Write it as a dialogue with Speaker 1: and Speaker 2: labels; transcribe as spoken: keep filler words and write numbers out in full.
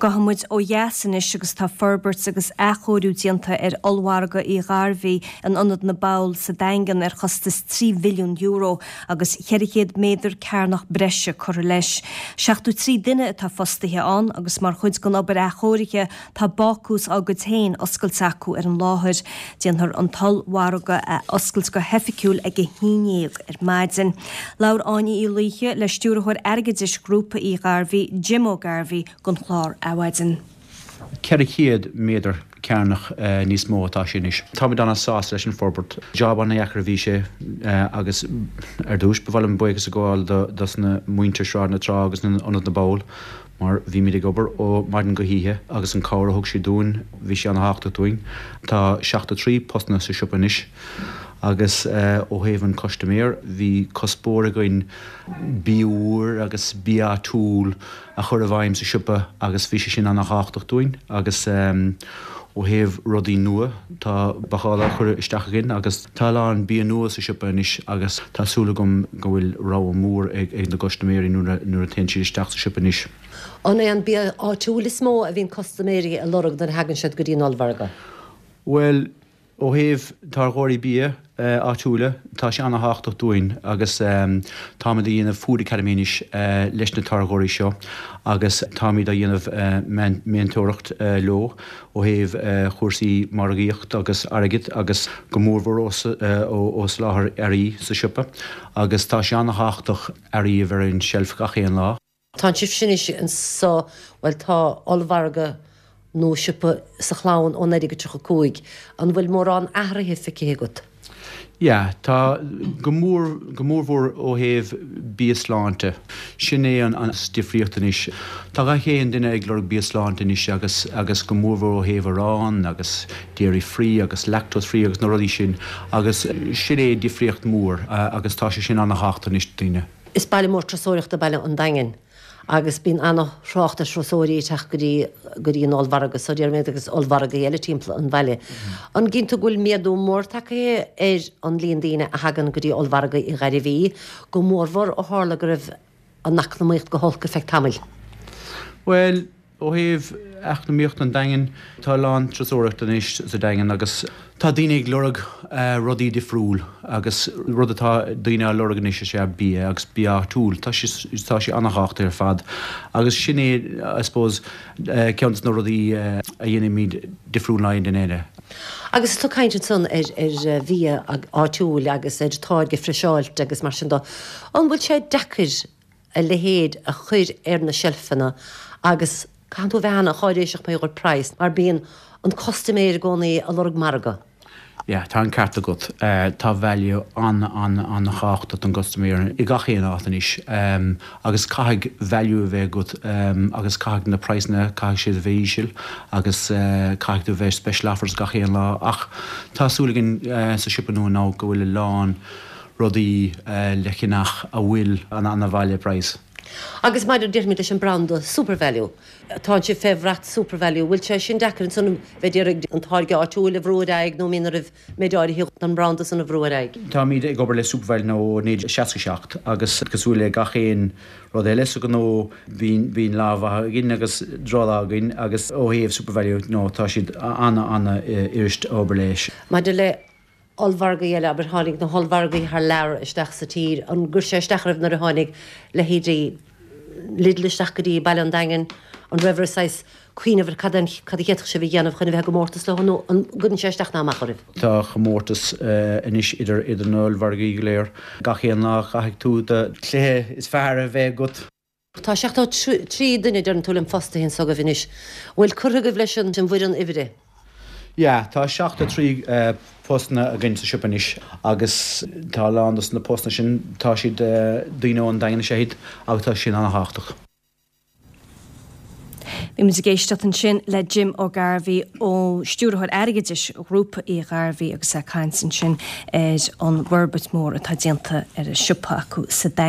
Speaker 1: Gabhfaidh muid ó dheas anois agus tá forbairt agus athchóiriú déanta ar ollmhargadh Uí Ghairbhí in Ionad na bPoll sa Daingean ar chostas trí mhilliún euro agus ceithre chéad méadar cearnach breise curtha leis. Seachtó trí duine atá fostaithe ann agus mar chuid den obair athchóirithe tá bácús dá gcuid féin oscailte acu ar an láthair. Déanfar an t-ollmhargadh a oscailt go hoifigiúil ag a haon déag ar maidin. Labhair Áine Uí Laoithe le stiúrthóir airgeadais Ghrúpa Uí Ghairbhí, Jim O'Garvey don chlár Adhmhaidin.
Speaker 2: Ceithre chéad méadar cearnach níos mó atá sé anois. Táimid an-sásta leis an forbairt. Job an-deacair a bhí sé agus ar dtús ba mhaith liom buíochas a ghabháil dos na muintir Sráid na Trá agus Ionad na bPoll mar bhímid ag obair ó maidin go hoíche agus an cabhair a thug siad dúinn bhí sé an-tábhachtach dúinn. Tá seachtó trí postanna sa siopa anois agus ó thaobh an custaiméir bhí cuspóir againn bia úr agus bia áitiúil a chur i bhfeidhm sa siopa agus bhí sé sin an-tábhachtach dúinn agus ó thaobh rudaí nua tá bácáil á chur isteach againn agus tá a lán bia nua sa siopa anois agus tá súil agam go bhfuil rogha mór ag ag na custaiméirí nuair nuair a théann siad isteach sa siopa anois.
Speaker 3: An é an bia áitiúil is mó a bhíonn custaiméirí a lorg nuair a thagann siad go dtí an ollmhargadh?
Speaker 2: Well, ó thaobh táirgeoirí bia áitiúla, tá sé an-tábhachtach dúinn agus táimid a dhéanamh Food Academy anois leis na táirgeoirí seo agus táimid a dhéanamh meantóireacht leo ó thaobh chúrsaí margaíocht agus airgead agus go mórmhór ó soláthar earraí sa siopa agus tá sé an-tábhachtach earraí a bheith ar an shelf gach aon lá.
Speaker 3: Tá sibh sin anseo bhuel tá ollmhargadh nó siopa sa Chlann ó naoi déag tríocha cúig. An bhfuil mórán athraithe feicthe agat?
Speaker 2: Yeah, tá go mór go mórmhór ó thaobh bia sláinte. Sin é an an difríocht anois. Tá gach aon duine ag lorg bia sláinte anois agus agus go mórmhór ó thaobh arán agus dairy free agus lactose free agus na rudaí sin agus sin é difríocht mór agus tá sé sin an-tábhachtach anois daoine.
Speaker 3: Is baile mór turasóireachta Baile an Daingin agus bíonn an-thrácht ar thurasóirí ag teacht go dtí go dtí an ollmhargadh so déarfaidh agus ollmhargaí eile timpeall an bhaile. An gcíonn tú go bhfuil méadú mór tagtha ar an líon daoine a thagann go dtí ollmhargadh Uí Ghairbhí, go mórmhór ó tharla go raibh an eacnamaíocht go holc ar feadh tamaill.
Speaker 2: Well, ó thaobh eacnamaíocht an Daingin tá lán turasóireacht anois sa Daingean agus tá daoine ag lorg rudaí difriúil agus rud atá daoine á lorg anois is ea bia agus bia áitiúil tá sé tá sé an-tábhachtach ar fad agus sin é I suppose ceann de na rudaí a dhéanaimid difriúil ná aon duine eile.
Speaker 3: Agus tú caint ansan ar ar bhia áitiúil agus ar táirge friseáilte agus mar sin de. An bhfuil sé deacair a leithéid a chur ar na seilfeanna agus caithfidh tú a bheith an-cháiréiseach mar gheall ar praghas mar bíonn an custaiméir i gcónaí ag lorg margadh.
Speaker 2: Yeah, tá an ceart agat. Tá value an an an-tábhachtach don gcustaiméir i gach aon áit anois um, agus caithfidh value a bheith agat um, agus caithfidh na praghsanna caithfidh siad a bheith íseal agus uh, caithfidh tú bheith special offers gach aon lá ach tá súil againn uh, sa siopa nua ná go bhfuil a lán rudaí uh, le ceannach a bhfuil an an-value price.
Speaker 3: Agus maidir déarfaimid leis an branda SuperValu. Tá sé fé bhrat SuperValu, bhfuil sé sin deacair ansan bheith ag an táirge áitiúil a bhrú ar aghaidh nó mín raibh méid áirithe an branda san a bhrú ar aghaidh.
Speaker 2: Táimid ag obair le SuperValu nó naoi seachtó seacht agus cosúil le gach aon rud eile sa gnó bíonn bíonn lá maith againn agus drochlá againn agus ó thaobh SuperValu nó tá siad an an-fhurasta obair leis.
Speaker 3: Maidir le ollmhargaí eile aber tháinig na hollmhargaí thar lear isteach sa tír an gcuir sé isteach oraibh nuair a tháinig leithéidí Lidl isteach go dtí Baile an Daingin an raibh saghas cuimhneamh ar cad cad a d'fhéadfadh sibh a dhéanamh chun a bheith i gcomórtas leo nó an gcuireann sé isteach ná amach oraibh.
Speaker 2: Tá comórtas anois idir idir na hollmhargaí go léir. Gach aon lá caithfidh tú do chluiche is fearr a bheith agat.
Speaker 3: Tá seachtó trí duine deireann tú liom fostaithe agaibh anois. Bhfuil curtha agaibh leis an bhfoireann oibre.
Speaker 2: Ja, tá seachtó trí uh, postanna againn sa siopa anois agus tá lán dos na postanna sin tá siad uh, daoine ón Daingean séid agus tá sin an-tábhachtach.
Speaker 1: Bhí muid ag éisteacht ansin le Jim O'Garvey ó stiúrthóir airgeadais Ghrúpa Uí Ghairbhí agus é ag caint ansin ar an bhforbairt mór atá déanta ar an siopa acu sa Daingean.